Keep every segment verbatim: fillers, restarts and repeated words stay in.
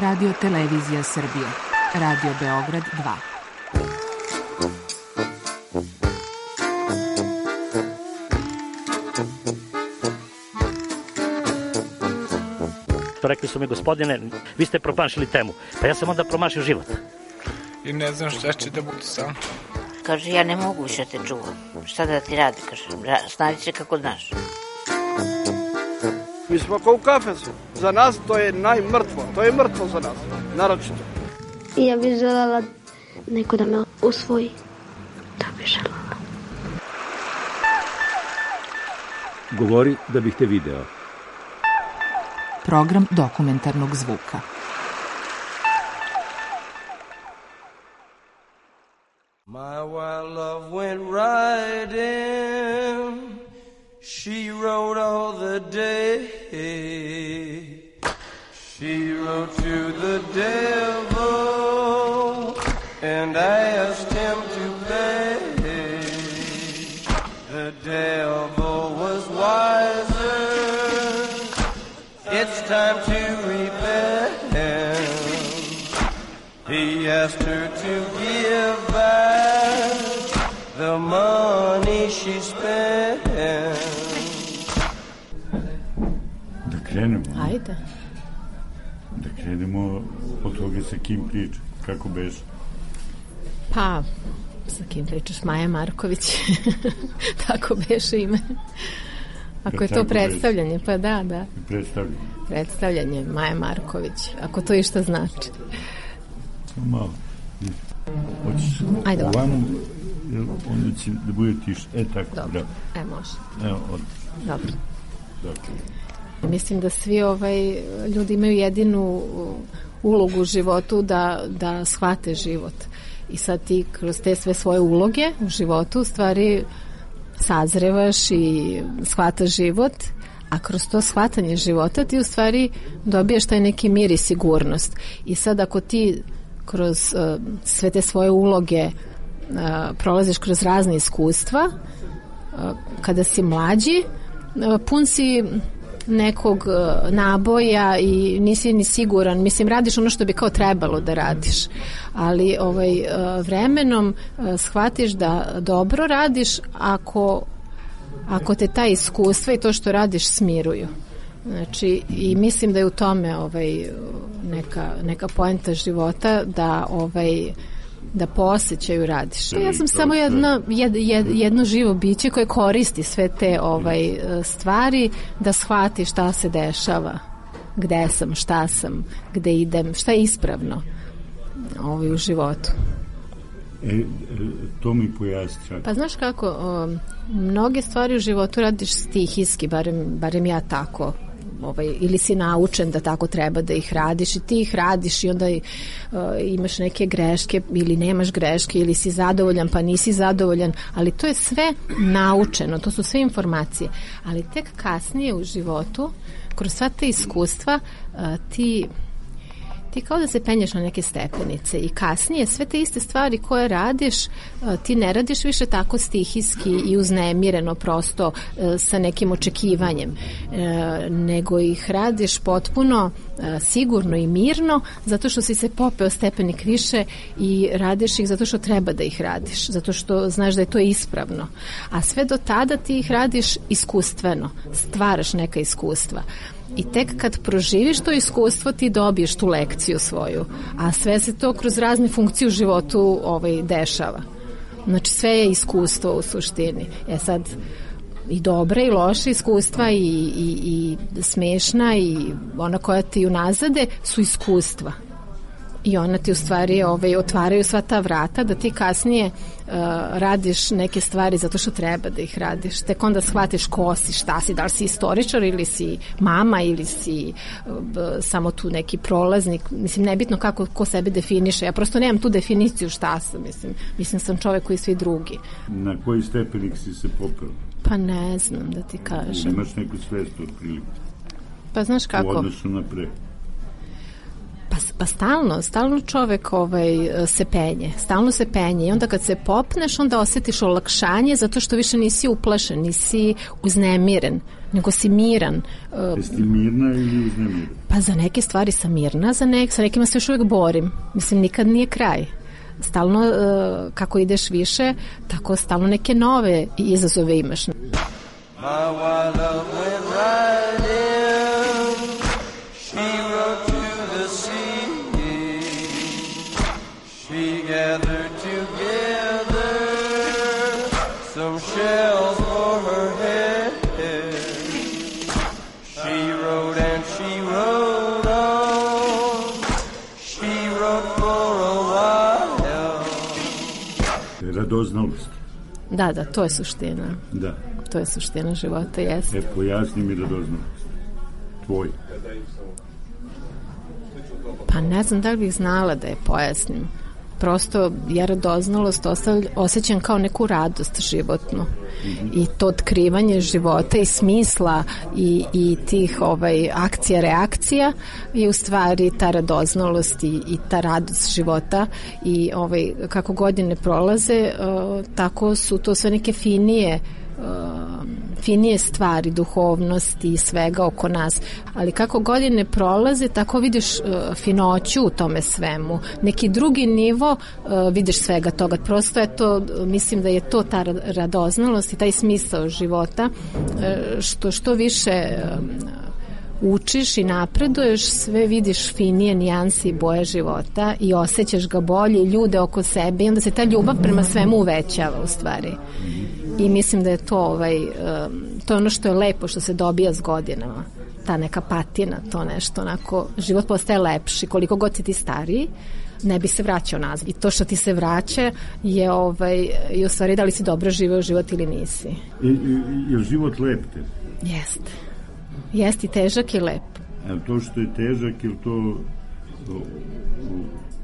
Radio Televizija Srbije, Radio Beograd dva. Rekli su mi, gospodine, vi ste promašili temu. Pa ja sam onda promašio život. I ne znam šta će da bude sam. Kaže, ja ne mogu više te čuvam. Šta da ti radi, kaže, snađi se kako znaš. Mi smo kao u kafesu. Za nas to je najmrtvo. To je mrtvo za nas, naročito. I ja bih želela neko da me usvoji. To bih želela. Govori da bih te video. Program dokumentarnog zvuka. My wild love went riding. She rode all the day. She rode to the devil and asked him to pay. The devil was wiser. It's time to repent. He asked her to give back the money she spent. Da krenemo. Ajde. Da krenemo od toga sa kim priča. Kako beše? Pa, sa kim pričaš? Maja Marković. Tako beše ime. Ako je to predstavljanje, pa da, da. Predstavljanje. Predstavljanje, Maja Marković. Ako to išta znači. Malo. Hoćeš Ajde ovamo, onda će da bude tiš. E, tako. Dobro, e, može. Evo, od... Dobro. Dobro. Mislim da svi ovaj, ljudi imaju jedinu ulogu u životu da, da shvate život. I sad ti kroz te sve svoje uloge u životu u stvari sazrevaš i shvataš život, a kroz to shvatanje života ti u stvari dobijaš taj neki mir i sigurnost. I sad ako ti kroz uh, sve te svoje uloge uh, prolaziš kroz razne iskustva, uh, kada si mlađi, uh, pun si nekog uh, naboja i nisi ni siguran, mislim radiš ono što bi kao trebalo da radiš, ali ovaj, uh, vremenom uh, shvatiš da dobro radiš ako, ako te ta iskustva i to što radiš smiruju. Znači, i mislim da je u tome ovaj, neka, neka poenta života da ovaj, da po osjećaju radiš. Ja sam samo jedno, jed, jed, jedno živo biće koje koristi sve te ovaj, stvari da shvati šta se dešava, gde sam, šta sam, gde idem, šta je ispravno ovaj, u životu. E, to mi pojasni. Pa znaš kako, o, mnoge stvari u životu radiš stihijski, barem, barem ja tako. Ovaj, ili si naučen da tako treba da ih radiš i ti ih radiš i onda uh, imaš neke greške ili nemaš greške ili si zadovoljan pa nisi zadovoljan, ali to je sve naučeno, to su sve informacije, ali tek kasnije u životu kroz sva te iskustva uh, ti ti kao da se penješ na neke stepenice i kasnije sve te iste stvari koje radiš, ti ne radiš više tako stihijski i uznemireno prosto sa nekim očekivanjem, nego ih radiš potpuno sigurno i mirno zato što si se popeo stepenik više i radiš ih zato što treba da ih radiš, zato što znaš da je to ispravno. A sve do tada ti ih radiš iskustveno, stvaraš neka iskustva. I tek kad proživiš to iskustvo ti dobiješ tu lekciju svoju, a sve se to kroz razne funkcije u životu ovaj, dešava. Znači sve je iskustvo u suštini. E sad i dobre i loše iskustva i, i, i smešna i ona koja ti unazade su iskustva. I ona ti u stvari ovaj, otvaraju sva ta vrata da ti kasnije uh, radiš neke stvari zato što treba da ih radiš. Tek onda shvatiš ko si, šta si, da li si istoričar ili si mama ili si uh, samo tu neki prolaznik. Mislim, nebitno kako ko sebe definiše. Ja prosto nemam tu definiciju šta sam. Mislim, mislim sam čovek koji svi drugi. Na koji stepenik si se popeo? Pa ne znam da ti kažem. Nemaš neku svest od prilike? Pa znaš kako? U odnosu na pre? Pa Pa stalno, stalno čovek ovaj, se penje, stalno se penje i onda kad se popneš onda osjetiš olakšanje zato što više nisi uplašen, nisi uznemiren, nego si miran. Jesi ti mirna ili uznemirena? Pa za neke stvari sam mirna, za nek, sa nekima se još uvijek borim. Mislim, nikad nije kraj. Stalno, uh, kako ideš više, tako stalno neke nove izazove imaš. My wild love went right in. She rode to the sea. She gathered together some shells for her head. She rode and she rode on. She rode for a while. Radoznalost. Da, da, to je suština. Da. To je suština života, jeste. E, pojasni mi radoznalost. Tvoj. Pa ne znam da li bih znala da je pojasnim. Prosto ja radoznalost osjećam kao neku radost životnu. Mm-hmm. I to otkrivanje života i smisla i, i tih ovaj, akcija, reakcija je u stvari ta radoznalost i, i ta radost života i ovaj, kako godine prolaze, uh, tako su to sve neke finije uh, finije stvari, duhovnosti i svega oko nas, ali kako godine prolaze, tako vidiš uh, finoću u tome svemu. Neki drugi nivo uh, vidiš svega toga. Prosto je to, mislim da je to ta radoznalost i taj smisao života, uh, što što više uh, učiš i napreduješ, sve vidiš finije nijanse i boje života i osjećaš ga bolje, ljude oko sebe i onda se ta ljubav prema svemu uvećava u stvari. I mislim da je to ovaj, to je ono što je lepo, što se dobija s godinama. Ta neka patina, to nešto onako, život postaje lepši. Koliko god si ti stariji, ne bi se vraćao nazad. I to što ti se vraća je ovaj, i u stvari da li si dobro živeo život ili nisi. I, i, je život lep te? Jeste. Jeste i težak i lep. A to što je težak, ili to o, o,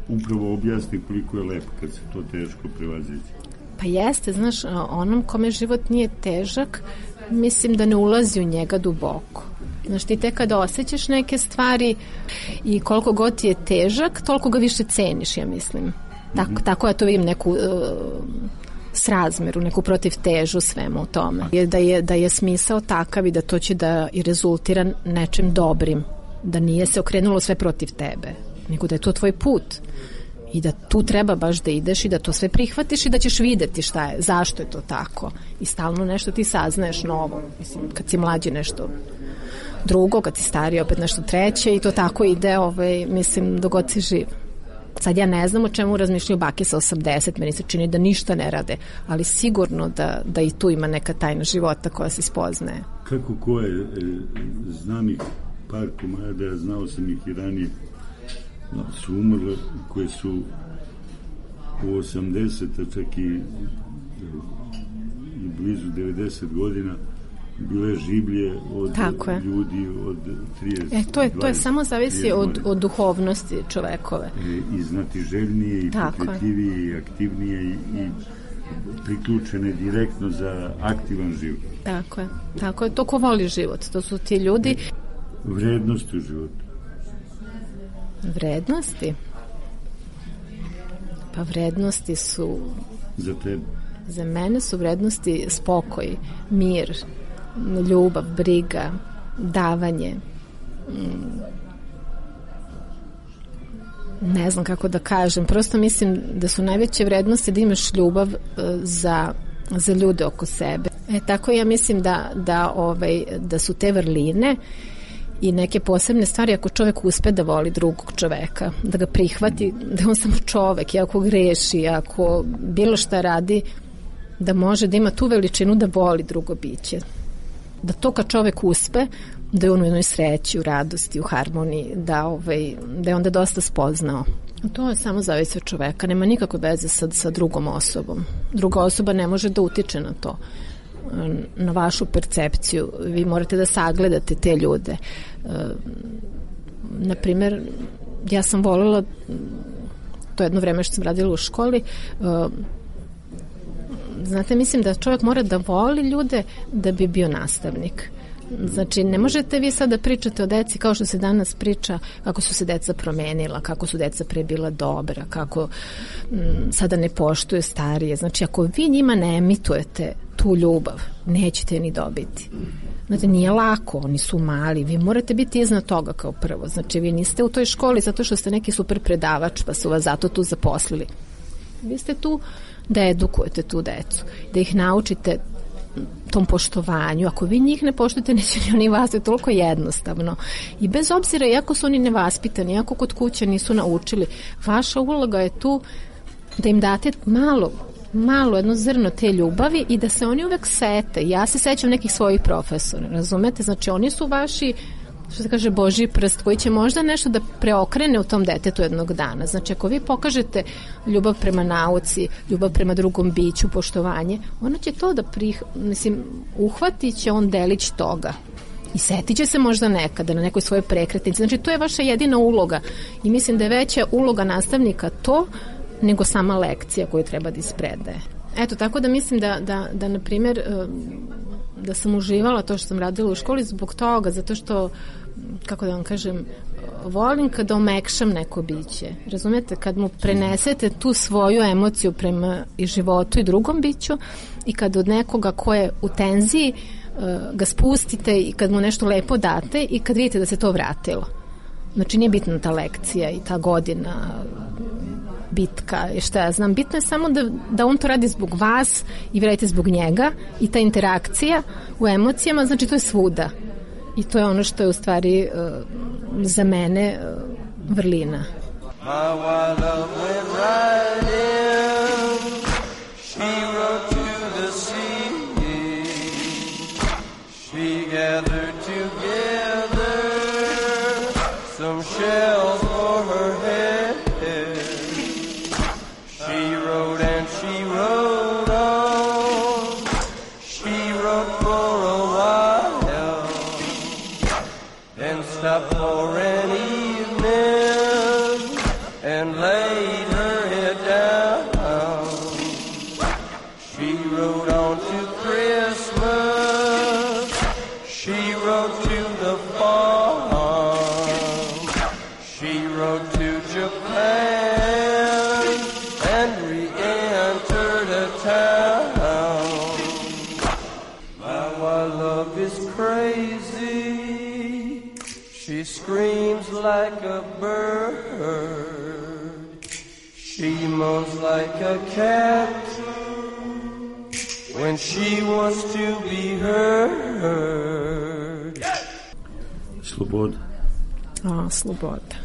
upravo objasni koliko je lep kad se to teško prevazići? Pa jeste, znaš, onom kome život nije težak, mislim da ne ulazi u njega duboko. Znaš, ti tek kada osjećaš neke stvari i koliko god ti je težak, toliko ga više ceniš, ja mislim. Tako, mm-hmm. tako ja to vidim, neku uh, srazmeru, neku protivtežu svemu u tome. Je da, je, da je smisao takav i da to će da i rezultira nečim dobrim. Da nije se okrenulo sve protiv tebe, nego da je to tvoj put. I da tu treba baš da ideš i da to sve prihvatiš i da ćeš videti šta je, zašto je to tako. I stalno nešto ti saznaješ novo. Mislim, kad si mlađi nešto drugo, kad si stariji opet nešto treće i to tako ide, ovaj, mislim, dok god si živ. Sad ja ne znam o čemu razmišljaju bake sa osamdeset, meni se čini da ništa ne rade, ali sigurno da, da i tu ima neka tajna života koja se spoznaje. Kako ko je, e, znam ih par komada, znao sam ih i ranije, su umrle, koje su u osamdeseta, čak i, i blizu devedeset godina bile življe od ljudi od trideset. E, to je, to je samo zavisi od, od duhovnosti čovekove. E, I znatiželjnije, i pokretljivije, i aktivnije, i, i priključene direktno za aktivan život. Tako je. Tako je. To ko voli život. To su ti ljudi. Vrednosti u životu. Vrednosti? Pa vrednosti su... Za tebe? Za mene su vrednosti spokoj, mir, ljubav, briga, davanje. Ne znam kako da kažem. Prosto mislim da su najveće vrednosti da imaš ljubav za, za ljude oko sebe. E, tako ja mislim da, da, ovaj, da su te vrline i neke posebne stvari ako čovek uspe da voli drugog čoveka, da ga prihvati, da je on samo čovek i ako greši, ako bilo šta radi, da može da ima tu veličinu da voli drugo biće. Da to kad čovek uspe, da je on u jednoj sreći, u radosti, u harmoniji, da, ovaj, da je onda dosta spoznao. To je samo zavisi od čoveka, nema nikakve veze sa, sa drugom osobom. Druga osoba ne može da utiče na to, na vašu percepciju. Vi morate da sagledate te ljude. E, naprimer, ja sam voljela, to jedno vreme što sam radila u školi, e, znate, mislim da čovjek mora da voli ljude da bi bio nastavnik. Znači, ne možete vi sad da pričate o deci kao što se danas priča, kako su se deca promenila, kako su deca pre bila dobra, kako m, sada ne poštuje starije. Znači, ako vi njima ne emitujete tu ljubav, nećete ni dobiti. Znate, nije lako, oni su mali, vi morate biti iznad toga kao prvo. Znači, vi niste u toj školi zato što ste neki super predavač, pa su vas zato tu zaposlili. Vi ste tu da edukujete tu decu, da ih naučite tom poštovanju. Ako vi njih ne poštujete, neće ni oni vas, je toliko jednostavno. I bez obzira, iako su oni nevaspitani, iako kod kuće nisu naučili, vaša uloga je tu da im date malo, malo jedno zrno te ljubavi i da se oni uvek sete. Ja se sećam nekih svojih profesora, razumete? Znači, oni su vaši, što se kaže, Božji prst koji će možda nešto da preokrene u tom detetu jednog dana. Znači, ako vi pokažete ljubav prema nauci, ljubav prema drugom biću, poštovanje, ona će to da prih, mislim, uhvatit će on delić toga. I setit će se možda nekada na nekoj svojoj prekretnici. Znači, to je vaša jedina uloga. I mislim da je veća uloga nastavnika to nego sama lekcija koju treba da ispredaje. Eto, tako da mislim da, da, da na primjer, da sam uživala to što sam radila u školi zbog toga, zato što, kako da vam kažem, volim kada omekšam neko biće. Razumete? Kad mu prenesete tu svoju emociju prema i životu i drugom biću i kad od nekoga ko je u tenziji ga spustite i kad mu nešto lepo date i kad vidite da se to vratilo. Znači, nije bitna ta lekcija i ta godina, bitka i šta ja znam. Bitno je samo da, da on to radi zbog vas i vi radite zbog njega i ta interakcija u emocijama, znači to je svuda. I to je ono što je u stvari uh, za mene uh, vrlina. My wild love went right in. She rode to the sea. She gathered together some shells for her head. She rode and she rode on. She rode for a while and stopped for an evening and laid her head down. She rode on to Christmas. She rode to the farm. She rode to Japan and re-entered a town. My wild love is crazy. She screams like a bird. She moans like a cat when she wants to be heard. Sloboda. A, sloboda.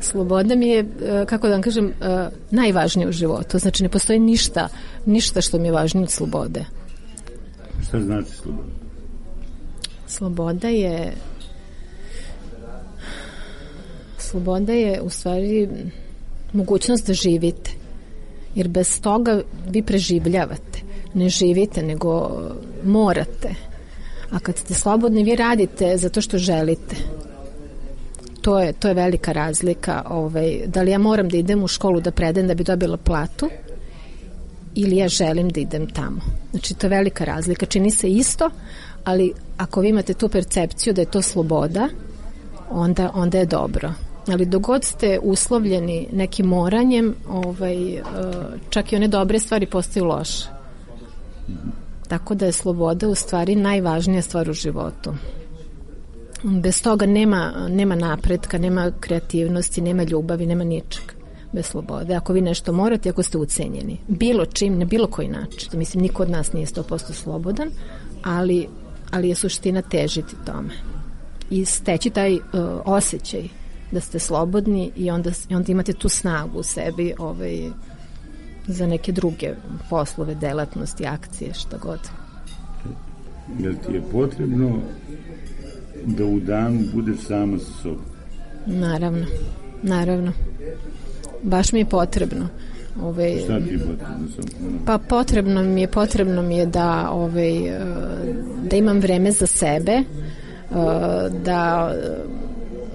Sloboda mi je, kako da vam kažem, najvažnije u životu. Znači, ne postoji ništa, ništa što mi je važnije od slobode. Šta znači sloboda? Sloboda je sloboda je u stvari mogućnost da živite. Jer bez toga vi preživljavate. Ne živite, nego morate. A kad ste slobodni, vi radite zato što želite. To je, to je velika razlika. Ovaj, da li ja moram da idem u školu da predajem da bi dobila platu ili ja želim da idem tamo. Znači, to je velika razlika. Čini se isto, ali ako vi imate tu percepciju da je to sloboda, onda, onda je dobro. Ali dok god ste uslovljeni nekim moranjem, ovaj, čak i one dobre stvari postaju loše. Tako da je sloboda u stvari najvažnija stvar u životu. Bez toga nema, nema napretka, nema kreativnosti, nema ljubavi, nema ničega bez slobode. Ako vi nešto morate, ako ste ucenjeni. Bilo čim, na bilo koji način. To mislim, niko od nas nije sto posto slobodan, ali, ali je suština težiti tome. I steći taj uh, osjećaj da ste slobodni i onda, i onda imate tu snagu u sebi ovaj, za neke druge poslove, delatnosti, akcije, šta god. Jel ti je potrebno da u danu budeš sama sa sobom? Naravno, naravno. Baš mi je potrebno. Ove, Šta ti je potrebno? Pa potrebno mi je, potrebno mi je da, ove, da imam vreme za sebe, da,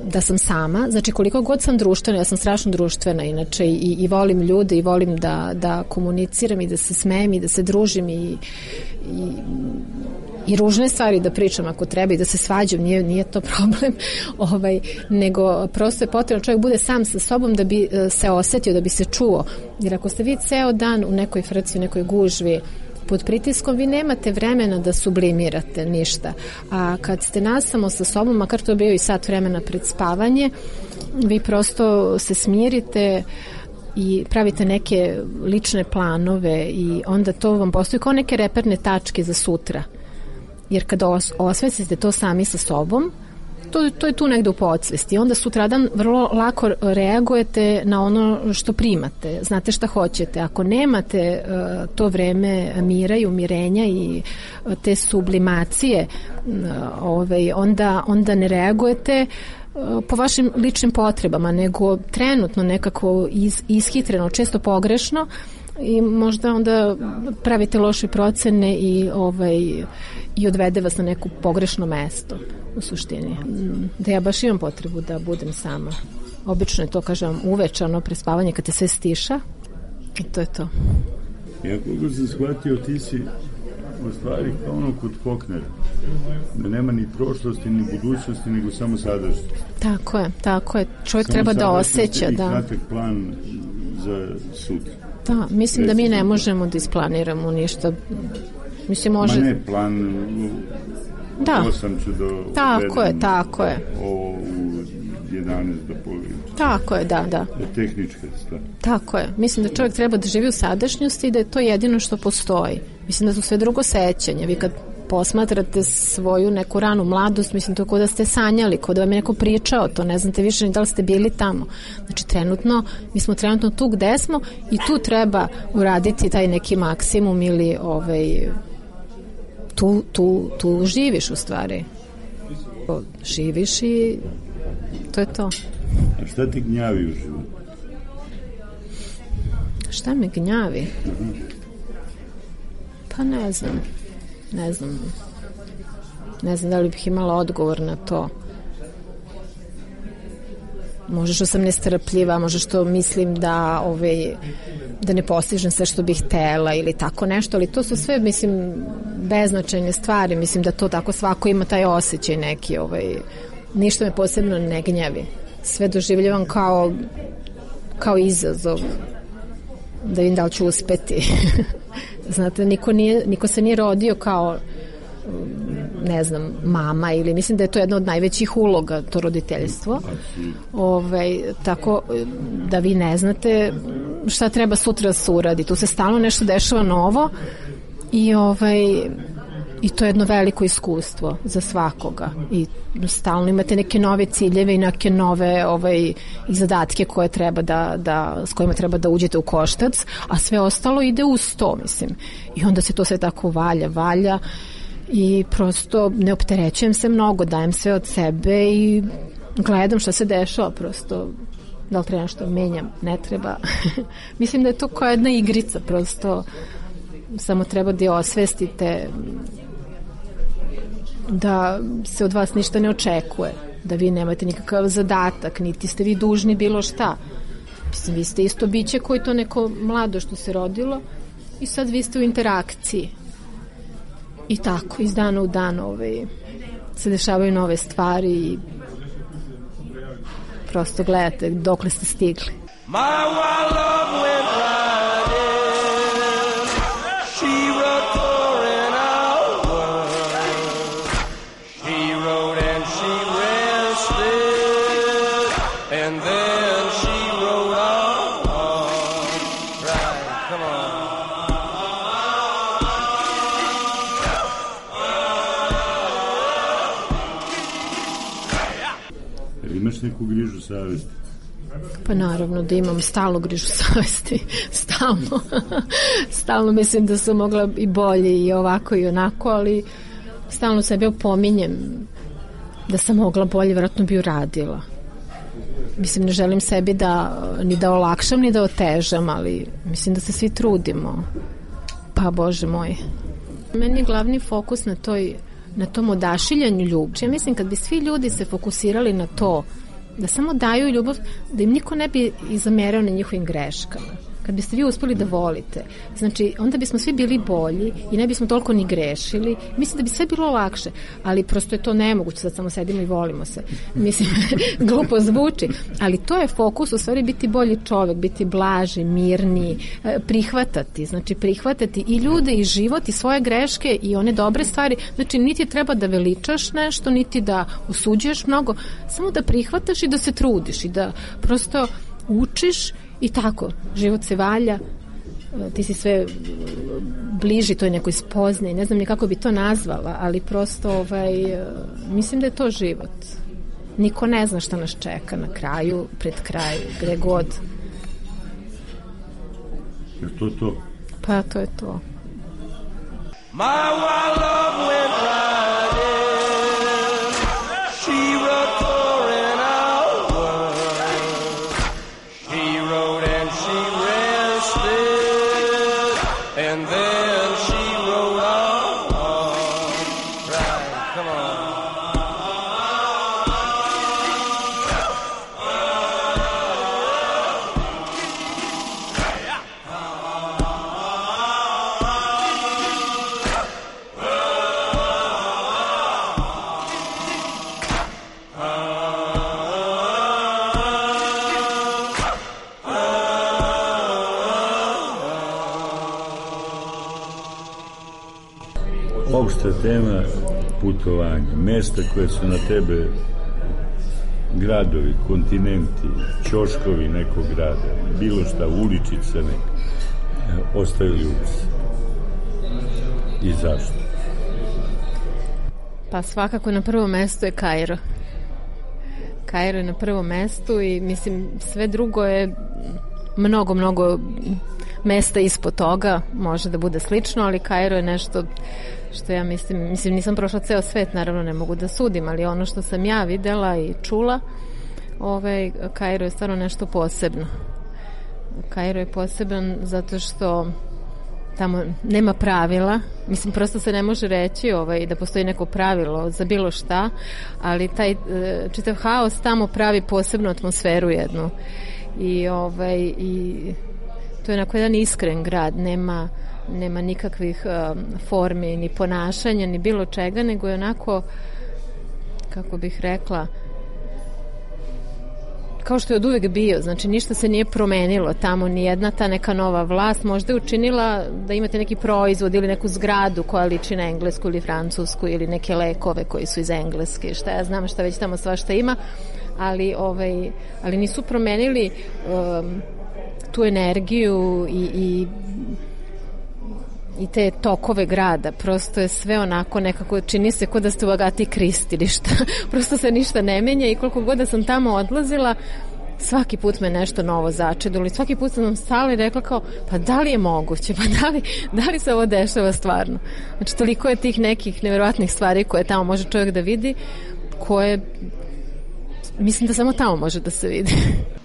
da sam sama. Znači, koliko god sam društvena, ja sam strašno društvena inače i, i volim ljude i volim da, da komuniciram i da se smejem i da se družim i, i, i ružne stvari da pričam ako treba i da se svađam, nije, nije to problem, ovaj, nego prosto je potrebno čovjek bude sam sa sobom da bi se osetio, da bi se čuo. Jer ako ste vi ceo dan u nekoj frci, u nekoj gužvi, pod pritiskom, vi nemate vremena da sublimirate ništa. A kad ste nasamo sa sobom, makar to bio i sat vremena pred spavanje, vi prosto se smirite i pravite neke lične planove i onda to vam postoji kao neke reperne tačke za sutra. Jer kada os- osvestite to sami sa sobom, To, to je tu negde u podsvesti. Onda sutradan vrlo lako reagujete na ono što primate. Znate šta hoćete. Ako nemate uh, to vreme mira i umirenja i uh, te sublimacije, uh, ovaj, onda, onda ne reagujete uh, po vašim ličnim potrebama, nego trenutno nekako iz, ishitreno, često pogrešno i možda onda pravite loše procene i, ovaj, i odvede vas na neko pogrešno mesto u suštini. Da ja baš imam potrebu da budem sama. Obično je to, kažem, uvečano prespavanje kad te sve stiša i to je to. Ja koliko sam shvatio, ti si u stvari kao ono kod Faulknera, da nema ni prošlosti ni budućnosti, nego samo sadašnjost. Tako je, tako je. Čovjek samo treba da osjeća. I da. kratak plan za sutra. Da, mislim da mi ne možemo da isplaniramo ništa. Mislim, može... Ma ne, plan... Da. osam ću do... Tako je, tako je. Ovo u jedanaest do polovine. Tako je, da, da. Tehnička stvar. Tako je. Mislim da čovjek treba da živi u sadašnjosti i da je to jedino što postoji. Mislim da su sve drugo sećanje. Vi kad posmatrate svoju neku ranu mladost, mislim to kao da ste sanjali, kao da vam je neko pričao to, ne znate više ni da li ste bili tamo. Znači trenutno, mi smo trenutno tu gde smo i tu treba uraditi taj neki maksimum ili ovaj, tu, tu, tu živiš u stvari. Živiš i to je to. A šta ti gnjavi u životu? Šta me gnjavi? Uh-huh. Pa ne znam. Ne znam. Ne znam da li bih imala odgovor na to. Možda što sam nestrpljiva, možda što mislim da ovaj, da ne postižem sve što bih htela ili tako nešto, ali to su sve, mislim, beznačajne stvari. Mislim da to tako svako ima taj osjećaj neki, ovaj, ništa me posebno ne gnjavi. Sve doživljavam kao kao izazov da vidim da li ću uspeti. Znate, niko, nije, niko se nije rodio kao ne znam, mama ili mislim da je to jedna od najvećih uloga, to roditeljstvo. Ovaj, tako da vi ne znate šta treba sutra da se uradi. Tu se stalno nešto dešava novo i ovaj i to je jedno veliko iskustvo za svakoga i stalno imate neke nove ciljeve i neke nove ovaj, i zadatke koje treba da, da, s kojima treba da uđete u koštac, a sve ostalo ide uz to, mislim. I onda se to sve tako valja, valja i prosto ne opterećujem se mnogo, dajem sve od sebe i gledam šta se dešava, prosto da li treba nešto menjam, ne treba. Mislim da je to kao jedna igrica, prosto samo treba da je osvestite da se od vas ništa ne očekuje, da vi nemate nikakav zadatak, niti ste vi dužni bilo šta. Mislim, vi ste isto biće koji to neko mlado što se rodilo i sad vi ste u interakciji. I tako, iz dana u dan ovaj, se dešavaju nove stvari i prosto gledate dokle ste stigli. My wild love went riding, she rode for an hour, she rode and she rested, and then she rode on, right, come on. Imaš neku grižu savesti? Pa naravno da imam stalno grižu savesti, stalno. Stalno mislim da sam mogla i bolje i ovako i onako, ali stalno sebe opominjem da sam mogla bolje, vjerojatno bi uradila. Mislim, ne želim sebi da ni da olakšam, ni da otežam, ali mislim da se svi trudimo. Pa Bože moj. Meni je glavni fokus na toj, na tom odašiljanju ljubavi. Ja mislim kad bi svi ljudi se fokusirali na to, da samo daju ljubav, da im niko ne bi izamerao na njihovim greškama. kad biste vi uspeli da volite, znači onda bismo svi bili bolji i ne bismo toliko ni grešili. Mislim da bi sve bilo lakše, ali prosto je to nemoguće, sad samo sedimo i volimo se. Mislim, glupo zvuči, ali to je fokus, u stvari biti bolji čovek, biti blaži, mirniji, prihvatati, znači prihvatati i ljude i život i svoje greške i one dobre stvari, znači niti treba da veličaš nešto, niti da osuđuješ mnogo, samo da prihvataš i da se trudiš i da prosto učiš i tako, život se valja, ti si sve bliži toj nekoj spoznaji, ne znam ni kako bi to nazvala, ali prosto ovaj, mislim da je to život. Niko ne zna šta nas čeka na kraju, pred kraj, gde god. Je to to? Pa to je to. My wild love went right in. She wrote for an hour. She wrote and she rested, and then she wrote on. Right, come on. Opšta tema putovanja, mesta koje su na tebe, gradovi, kontinenti, ćoškovi nekog grada, bilo šta, uličice neka, ostavili ukus. I zašto? Pa svakako na prvom mestu je Kairo. Kairo je na prvom mestu i mislim sve drugo je mnogo, mnogo mesta ispod toga, može da bude slično, ali Kairo je nešto što ja mislim, mislim nisam prošla ceo svet, naravno ne mogu da sudim, ali ono što sam ja videla i čula, ovaj, Kairo je stvarno nešto posebno. Kairo je poseban zato što tamo nema pravila, mislim prosto se ne može reći ovaj, da postoji neko pravilo za bilo šta, ali taj čitav haos tamo pravi posebnu atmosferu jednu i, ovaj, i to je onako jedan iskren grad, nema nema nikakvih um, formi ni ponašanja ni bilo čega, nego je onako, kako bih rekla, kao što je od uvek bio, znači ništa se nije promenilo tamo, ni jedna ta neka nova vlast možda je učinila da imate neki proizvod ili neku zgradu koja liči na englesku ili francusku ili neke lekove koji su iz Engleske, šta ja znam šta već tamo svašta ima, ali, ovaj, ali nisu promenili um, tu energiju i, i i te tokove grada, prosto je sve onako nekako, čini se kao da ste u Agati Kristi ili šta, prosto se ništa ne menja i koliko god da sam tamo odlazila, svaki put me nešto novo začedilo i svaki put sam stala i rekla kao, pa da li je moguće, pa da li, da li se ovo dešava stvarno? Znači, toliko je tih nekih nevjerovatnih stvari koje tamo može čovjek da vidi, koje mislim da samo tamo može da se vidi.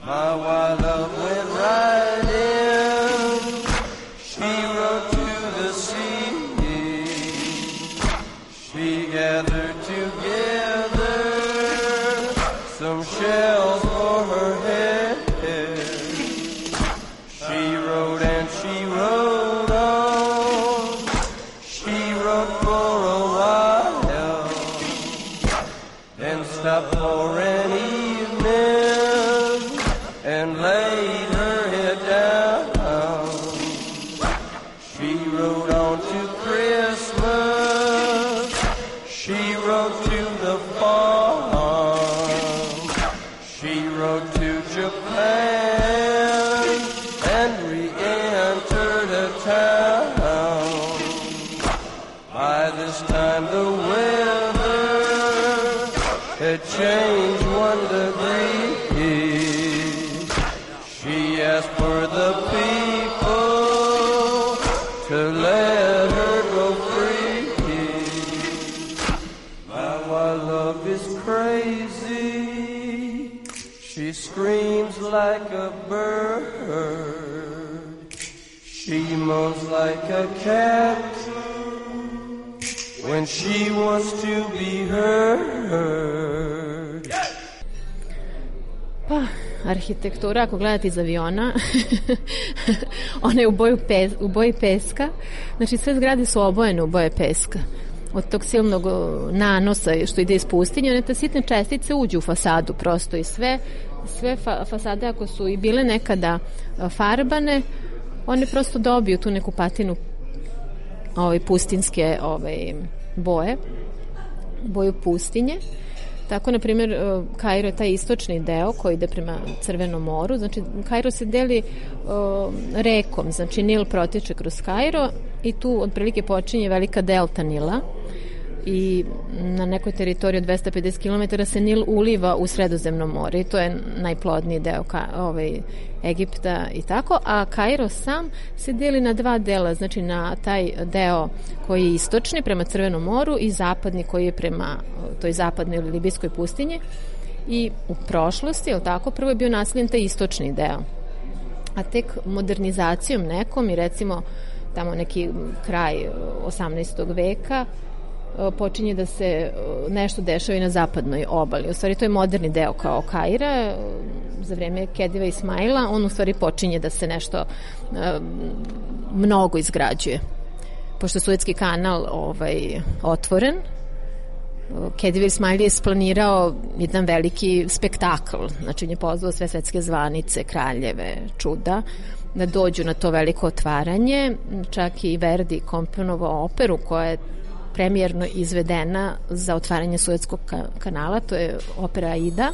My wild love went right in. She wrote to the sea. She gathered together some shells for her head. She wrote and she wrote on. She wrote for a while and stopped for an evening and laid her head down. She wrote on to Christmas. She wrote to the farm. She wrote to Japan and re-entered a town. By this time the weather had changed one degree. She asked for the people to let her go free. My wild love is crazy. She screams like a bird. She moans like a cat when she wants to be heard. Pa, arhitektura, ako gledate iz aviona, ona je u, boju pes, u boji peska. Znači, sve zgrade su obojene u boje peska. Od tog silnog nanosa što ide iz pustinje, one te sitne čestice uđu u fasadu prosto i sve, sve fa, fasade ako su i bile nekada farbane, one prosto dobiju tu neku patinu ovaj, pustinske ovaj, boje, boju pustinje. Tako, na primjer, Kairo je taj istočni deo koji ide prema Crvenom moru. Znači, Kairo se deli uh, rekom, znači Nil protiče kroz Kairo i tu otprilike počinje velika delta Nila i na nekoj teritoriji od dvesta pedeset kilometara se Nil uliva u Sredozemno more i to je najplodniji deo ka, ovaj, Egipta i tako, a Kairo sam se deli na dva dela, znači na taj deo koji je istočni prema Crvenom moru i zapadni koji je prema toj zapadnoj ili libijskoj pustinji. I u prošlosti, je tako, prvo je bio naseljen taj istočni deo, a tek modernizacijom nekom i recimo tamo neki kraj osamnaestog veka počinje da se nešto dešava i na zapadnoj obali. U stvari to je moderni deo kao Kaira. Za vreme Kediva Ismaila on u stvari počinje da se nešto mnogo izgrađuje. Pošto je Suetski kanal ovaj, otvoren, Kediv Ismail je isplanirao jedan veliki spektakl. Znači on je pozvao sve svetske zvanice, kraljeve, čuda da dođu na to veliko otvaranje. Čak i Verdi komponovao operu koja je premijerno izvedena za otvaranje Suetskog kanala, to je opera Aida.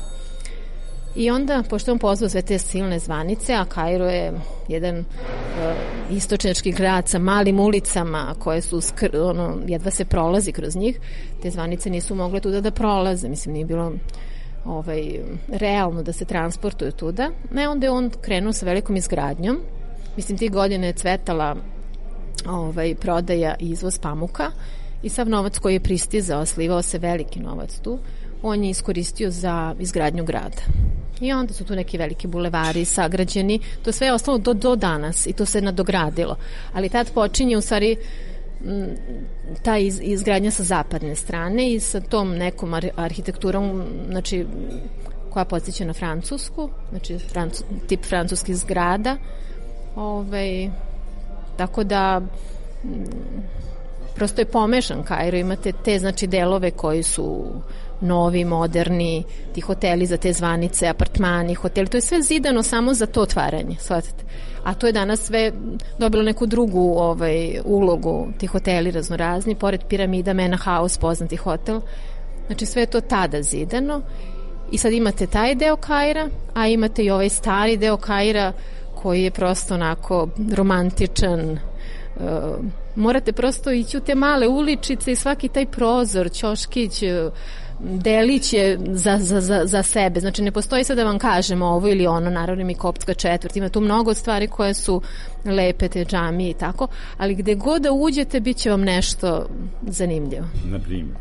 I onda, pošto on pozvao sve te silne zvanice, a Kairo je jedan uh, istočnjački grad sa malim ulicama koje su, skr, ono, jedva se prolazi kroz njih, te zvanice nisu mogle tuda da prolaze, mislim, nije bilo ovaj, realno da se transportuju tuda. Ne, onda je on krenuo sa velikom izgradnjom. Mislim, tih godina je cvetala ovaj, prodaja i izvoz pamuka i sav novac koji je pristizao, slivao se veliki novac tu, on je iskoristio za izgradnju grada. I onda su tu neki veliki bulevari sagrađeni, to sve je ostalo do, do danas i to se nadogradilo. Ali tad počinje u stvari m, ta iz, izgradnja sa zapadne strane i sa tom nekom ar, arhitekturom, znači, koja podsjeća na francusku, znači francu, tip francuskih zgrada. Ovaj, tako da m, prosto je pomešan Kairo, imate te znači delove koji su novi, moderni, ti hoteli za te zvanice, apartmani, hoteli, to je sve zidano samo za to otvaranje, shvatate. A to je danas sve dobilo neku drugu ovaj, ulogu, ti hoteli raznorazni, pored piramida, Mena House, poznati hotel, znači sve je to tada zidano i sad imate taj deo Kaira, a imate i ovaj stari deo Kaira koji je prosto onako romantičan. Uh, morate prosto ići u te male uličice i svaki taj prozor, ćoškić, delić je za, za, za, za sebe. Znači ne postoji sad da vam kažem ovo ili ono, naravno mi koptska četvrt, ima tu mnogo stvari koje su lepe, te džamije i tako, ali gde god da uđete bit će vam nešto zanimljivo. Na primjer?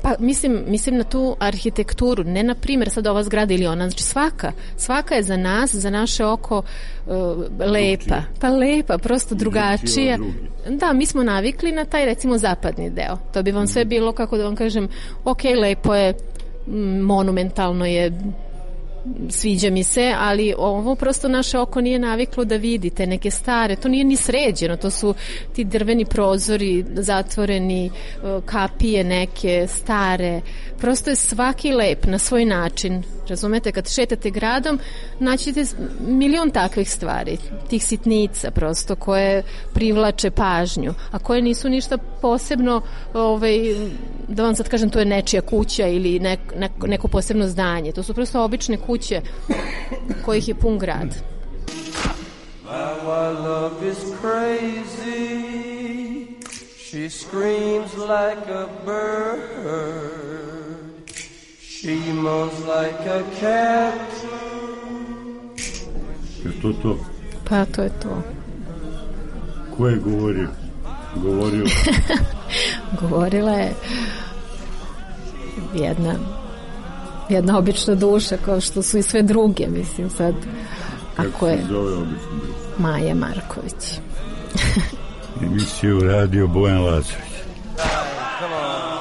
Pa mislim, mislim na tu arhitekturu, ne na primjer sad ova zgrada ili ona, znači svaka, svaka je za nas, za naše oko uh, lepa, pa lepa, prosto drugačija. Da, mi smo navikli na taj recimo zapadni deo, to bi vam sve bilo, kako da vam kažem, ok, lepo je, monumentalno je, sviđa mi se, ali ovo prosto naše oko nije naviklo da vidite neke stare, to nije ni sređeno, to su ti drveni prozori zatvoreni, kapije neke stare, prosto je svaki lep na svoj način, razumete, kad šetate gradom naćete milion takvih stvari, tih sitnica prosto koje privlače pažnju, a koje nisu ništa posebno, ovaj, da vam sad kažem to je nečija kuća ili nek, neko, neko posebno zdanje, to su prosto obične kuće kojih je pun grad. My love is crazy. She screams like a bird. She mows like a cat. Je to to? Pa to je to. Ko je govorio? Govorio? Govorila je jedna jedna obična duša, kao što su i sve druge, mislim sad. Kako se zove obična duša? Maja Marković. Emisiju radio Bojan Lazović. Come on.